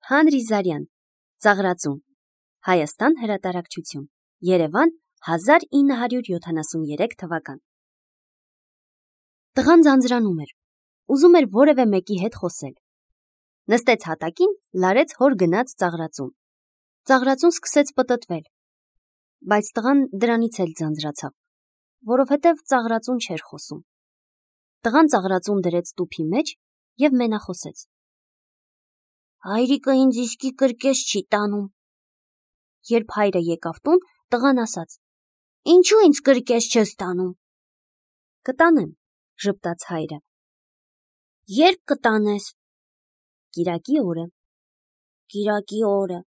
Հանրի Զարյան, Ծաղրածուն, Հայաստան հրատարակչություն, Երևան 1973 թվական։ Տղան ձանձրանում էր, ուզում էր որևէ մեկի հետ խոսել։ Նստեց հատակին, լարեց հոր գնաց ծաղրածուն։ Ծաղրածուն սկսեց պտտվել, բայց տղան դրանից էլ ձանձրացավ, որովհետև ծաղրածուն չէր խոսում։ Տղան ծաղրածուն դրեց տուփի մեջ և մենախոսեց. Հայրիկը ինձ իսկի կրկես չի տանում։ Երբ հայրը եկավ տուն, տղան ասաց. Ինչու ինձ կրկես չես տանում։ Կտանեմ, ժպտաց հայրը։ Երբ կտանես։ Կիրակի օրը։ Կիրակի օրը։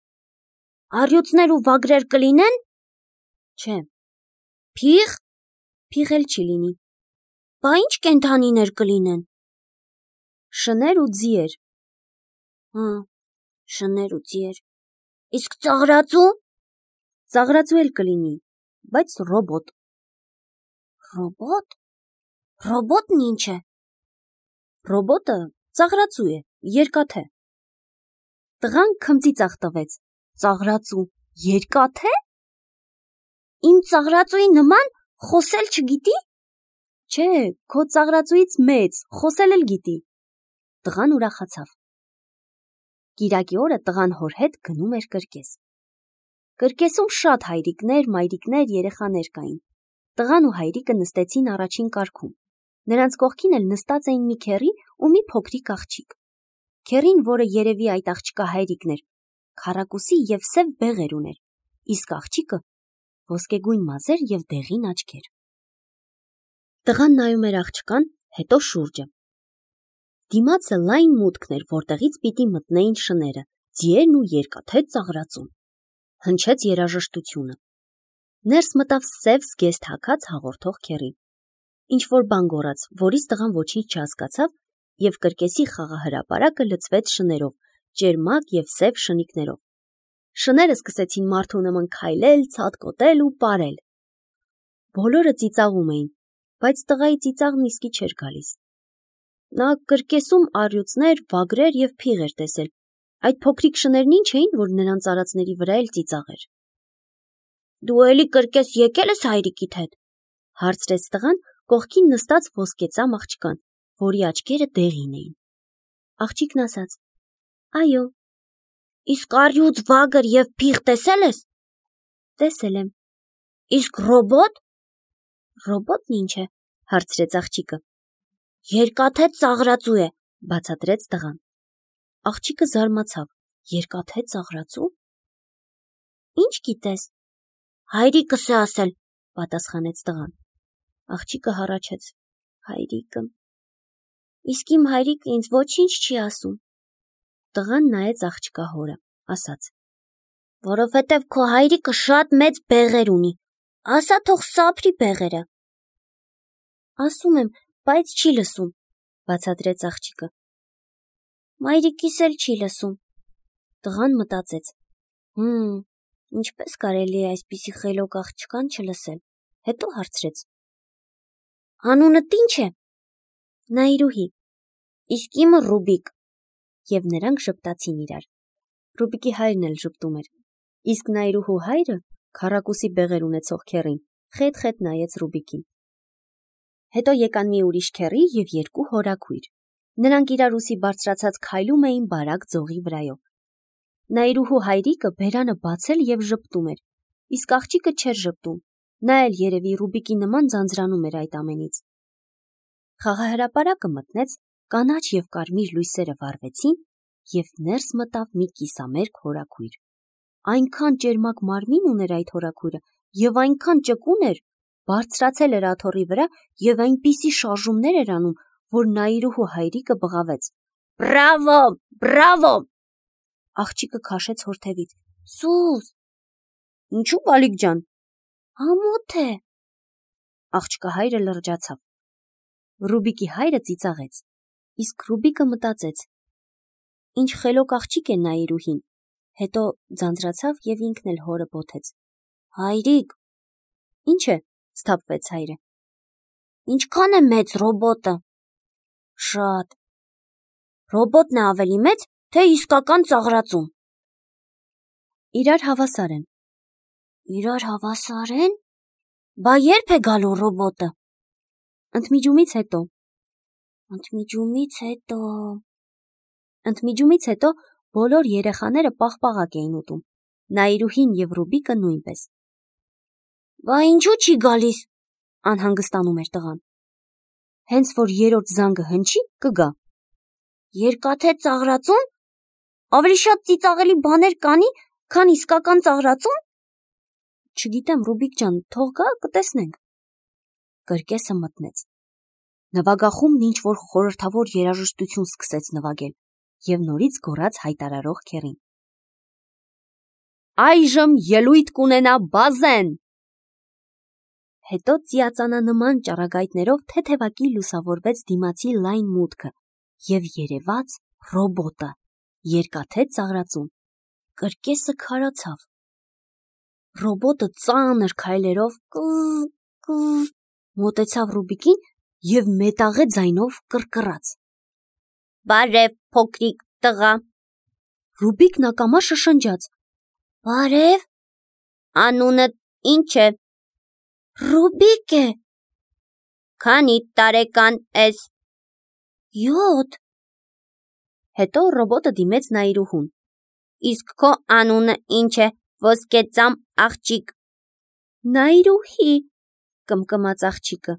Առյուծներ ու վագրեր կլինեն։ Չէ։ Փիղ։ Փիղ էլ չի լինի։ Բա ինչ կենդանիներ կլինեն։ Շներ ու ձիեր։ Շներ ու ձիեր։ Իսկ ծաղրածու։ Ծաղրածու էլ կլինի, բայց ռոբոտ։ Ռոբոտ։ Ռոբոտն ինչ է։ Ռոբոտը ծաղրածու է, երկաթե։ Տղան քմծիծաղ տվեց. Ծաղրածու, երկաթե։ Իմ ծաղրածուի նման խոսել չգիտի։ Չէ, քո ծաղրածուից մեծ, խոսել էլ գիտի։ Տղան ուրախացավ։ Կիրակի օրը տղան հոր հետ գնում էր կրկես։ Կրկեսում շատ հայրիկներ, մայրիկներ, երեխաներ կային։ Տղան ու հայրիկը նստեցին առաջին կարգում։ Նրանց կողքին էլ նստած էին մի քեռի ու մի փոքրիկ աղջիկ։ Քեռին, որը երևի այդ աղջկա հայրիկն էր, քառակուսի և սև բեղեր ուներ, իսկ աղջիկը ոսկեգույն մազեր և դեղին աչքեր։ Տղան նայում էր աղջկան, հետո շուրջը։ Դիմացը լայն մուտքն էր, որտեղից պիտի մտնեին շները, ձիերն ու երկաթե ծաղրածուն։ Հնչեց երաժշտությունը։ Ներս մտավ սև զգեստ հագած հաղորդող քեռին։ Ինչ-որ բան գոռաց, որից տղան ոչինչ չհասկացավ, և կրկեսի խաղահրապարակը լցվեց շներով, ճերմակ և սև շնիկներով։ Շները սկսեցին մարդու նման քայլել, ցատկոտել ու պարել։ Բոլորը ծիծաղում էին, բայց տղայի ծիծաղն իսկի չէր գալիս։ Նա կրկեսում առյուծներ, վագրեր և փիղ էր տեսել։ Այդ փոքրիկ շներն ինչ էին, որ նրանց արածների վրա էլ ծիծաղեր։ Դու էլի կրկես եկել ես հայրիկիդ հետ, հարցրեց տղան կողքին նստած ոսկեծամ աղջկան, որի աչքերը դեղին էին։ Աղջիկն ասաց. Այո։ Իսկ առյուծ, վագր և փիղ տեսել ես։ Տեսել եմ։ Իսկ ռոբոտ։ Ռոբոտն ինչ է, հարցրեց աղջիկը։ Երկաթե ծաղրածու է, բացատրեց տղան։ Աղջիկը զարմացավ. Երկաթե ծաղրածու։ Ինչ գիտես։ Հայրիկս է ասել, պատասխանեց տղան։ Աղջիկը հառաչեց. Հայրիկը։ Իսկ իմ հայրիկը ինձ ոչինչ չի ասում։ Տղան նայեց աղջկա հորը, ասաց. Որովհետև քո հայրիկը շատ մեծ բեղեր ունի, ասա թող սափրի բեղերը։ Ասում եմ, բայց չի լսում, բացատրեց աղջիկը։ Մայրիկիս էլ չի լսում։ Տղան մտածեց. Ինչպես կարելի է այսպիսի խելոք աղջկան չլսել, հետո հարցրեց. Անունդ ինչ է։ Նայրուհի։ Իսկ իմը Ռուբիկ։ Եվ նրանք ժպտացին իրար։ Ռուբիկի հայրն էլ ժպտում էր, իսկ Նայրուհու հայրը, քառակուսի բեղեր ունեցող քեռին, խետ-խետ նայեց Ռուբիկին։ Հետո եկան մի ուրիշ քեռի և երկու հորաքույր։ Նրանք իրար ուսի բարձրացած քայլում էին բարակ ձողի վրայով։ Նայրուհու հայրիկը բերանը բացել և ժպտում էր, իսկ աղջիկը չէր ժպտում, նա էլ երևի Ռուբիկի նման ձանձրանում էր այդ ամենից։ Խաղահրապարակը մտնեց, կանաչ և կարմիր լույսերը վառվեցին, և ներս մտավ մի կիսամերկ հորաքույր։ Այնքան ճերմակ մարմին ուներ այդ հորաքույրը և այնքան ճկուն էր, բարձրացել էր աթոռի վրա և այնպիսի շարժումներ էր անում, որ Նայրուհու հայրիկը բղավեց. Բրավո, բրավո։ Աղջիկը քաշեց հորթևից. Սուս։ Ինչու բալիկ ջան։ Ամոթ է։ Աղջկա հայրը լրջացավ։ Ռուբիկի հայրը ծիծաղեց, իսկ Ռուբիկը մտածեց. Ինչ խելոք աղջիկ է Նայրուհին, հետո ձանձրացավ և ինքն էլ հորը բոթեց։ Հայրիկ։ Ինչ է, սթափվեց հայրը։ Ինչքան է մեծ ռոբոտը։ Շատ։ Ռոբոտն է ավելի մեծ, թե իսկական ծաղրածուն։ Իրար հավասար են։ Իրար հավասար են։ Բա երբ է գալու ռոբոտը։ Ընդմիջումից հետո բոլոր երեխաները պաղպաղակ էին ուտում։ Նաիրուհին եւ Ռուբիկը նույնպես։ Բա ինչու չի գալիս, անհանգստանում էր տղան։ Հենց որ երրորդ զանգը հնչի, կգա։ Երկաթե ծաղրածուն։ Ավելի շատ ծիծաղելի բաներ կանի, քան իսկական ծաղրածուն։ Չգիտեմ, Ռուբիկ ջան, թող գա, կտեսնենք։ Կրկեսը մտնեց։ Նվագախումբն ինչ-որ խորհրդավոր երաժշտություն սկսեց նվագել եւ նորից գոռաց հայտարարող քեռին. Այժմ ելույթ կունենա Բազեն։ Հետո ծիածանանման ճառագայթներով թեթևակի լուսավորվեց դիմացի լայն մուտքը եւ երևաց ռոբոտը, երկաթե ծաղրածուն։ Կրկեսը քարացավ։ Ռոբոտը ծանր քայլերով մոտեցավ Ռուբիկին եւ մետաղե ձայնով կռկռաց. Բարև, փոքրիկ տղա։ Ռուբիկն ակամա շշնջաց. Բարև։ Անունդ ինչ է։ Ռուբիկ է։ Քանի տարեկան ես։ 7։ Հետո ռոբոտը դիմեց Նաիրուհուն. Իսկ քո անունը ինչ է, ոսկեծամ աղջիկ։ Նաիրուհի, կմկմաց աղջիկը։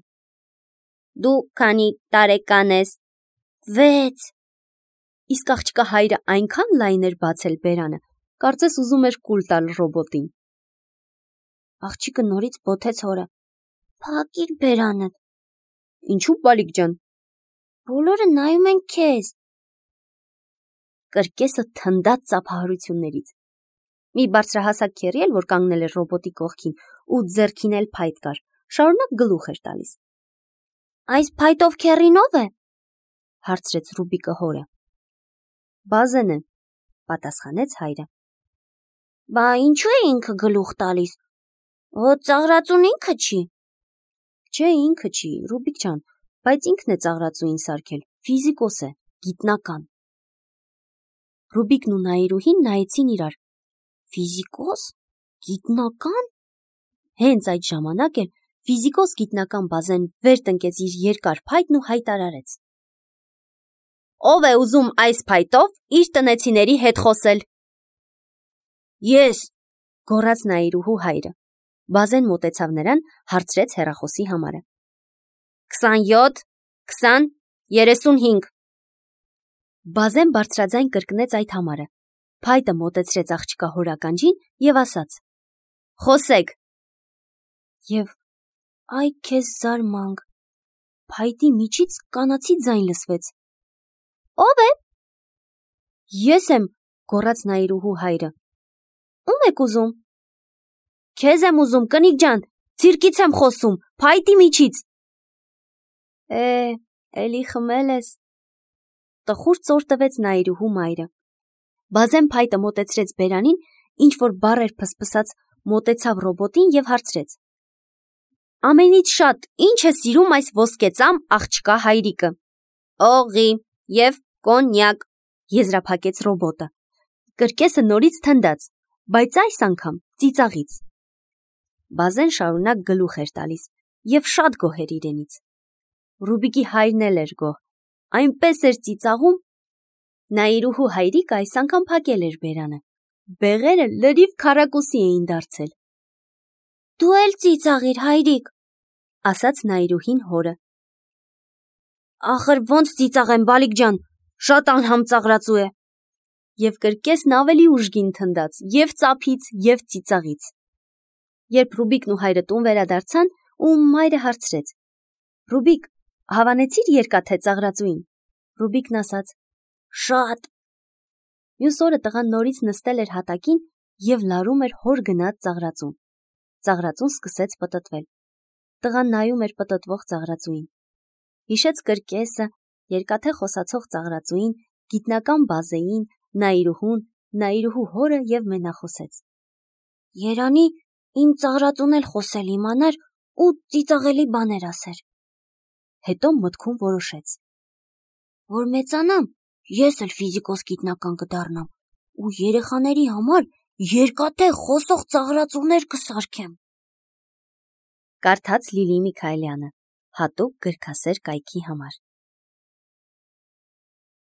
Դու քանի տարեկան ես։ 6։ Իսկ աղջկա հայրը այնքան լայն էր բացել բերանը, կարծես ուզում էր կուլ տալ ռոբոտին։ Աղջիկը նորից բոթեց հորը. Փակիր բերանդ։ Ինչու, բալիկ ջան։ Բոլորը նայում են քեզ։ Կրկեսը թնդաց ծափահարություններից։ Մի բարձրահասակ քեռի էլ, որ կանգնել էր ռոբոտի կողքին ու ձեռքին էլ փայտ կար, շարունակ գլուխ էր տալիս։ Այս փայտով քեռին ով է։ Հարցրեց Ռուբիկը հորը։ Բազեն է, պատասխանեց հայրը։ Բա ինչու է ինքը գլուխ տալիս։ Ծաղրածուն ինքը չի։ Չէ, ինքը չի, Ռուբիկ ջան, բայց ինքն է ծաղրածուին սարքել, ֆիզիկոս է, գիտնական։ Ռուբիկն ու Նաիրուհին նայեցին իրար։ Ֆիզիկոս, գիտնական։ Հենց այդ ժամանակ էլ ֆիզիկոս գիտնական Բազեն վեր տնկեց իր երկար փայտն ու հայտարարեց. Ով է ուզում այս փայտով իր տնեցիների հետ խոսել։ Ես, գոռաց Նաիրուհու հայրը։ Բազեն մոտեցավ նրան, հարցրեց հեռախոսի համարը։ 27, 20, 35։ Բազեն բարձրաձայն կրկնեց այդ համարը։ Փայտը մոտեցրեց աղջկա հորականջին եւ ասաց. Խոսեք։ Եվ այ քեզ զարմանք։ Փայտի միջից կանացի ձայն լսվեց։ Ո՞վ է։ Ես եմ, գոռաց Նաիրուհու հայրը։ Ո՞ւմ եք ուզում։ Քեզ եմ ուզում, կնիկ ջան, ցիրկից եմ խոսում, փայտի միջից։ Էլի խմել ես։ Տխուր ծոր տվեց Նաիրուհու մայրը։ Բազեն փայտը մոտեցրեց բերանին, ինչ որ բառ էր փսփսած, մոտեցավ ռոբոտին եւ հարցրեց. Ամենից շատ ինչ է սիրում այս ոսկեծամ աղջկա հայրիկը։ Օղի եւ կոնյակ, եզրափակեց ռոբոտը։ Կրկեսը նորից թնդաց, բայց այս անգամ ծիծաղից։ Բազեն շարունակ գլուխ էր տալիս եւ շատ գոհ էր իրենից։ Ռուբիկի հայրն էլ էր գոհ, այնպես էր ծիծաղում։ Նաիրուհու հայրիկը այս անգամ փակել էր բերանը։ Բեղերը լրիվ քառակուսի էին դարձել։ Դու էլ ծիծաղիր, հայրիկ, ասաց Նաիրուհին հորը։ Ախր ոնց ծիծաղեմ, բալիկ ջան, շատ անհամ ծաղրածու է։ Եվ կրկեսն ավելի ուժգին թնդաց եւ ծափից եւ ծիծաղից։ Երբ Ռուբիկն ու հայրը տուն վերադարձան, ու մայրը հարցրեց. Ռուբիկ, հավանեցիր երկաթե ծաղրածուին։ Ռուբիկն ասաց. Շատ։ Մյուս օրը տղան նորից նստել էր հատակին եւ լարում էր հոր գնած ծաղրածուն։ Ծաղրածուն սկսեց պտտվել։ Տղան նայում էր պտտվող ծաղրածուին։ Հիշեց կրկեսը, երկաթե խոսացող ծաղրածուին, գիտնական Բազեին, Նաիրուհուն, Նաիրուհու հորը եւ մենախոսեց։ Երանի իմ ծաղրածուն էլ խոսել իմանար ու ծիծաղելի բաներ ասեր։ Հետո մտքում որոշեց. որ մեծանամ, ես էլ ֆիզիկոս գիտնական կդառնամ ու երեխաների համար երկաթե խոսող ծաղրածուներ կսարքեմ։ Կարդաց Լիլի Միքայելյանը, հատուկ գրքասեր կայքի համար։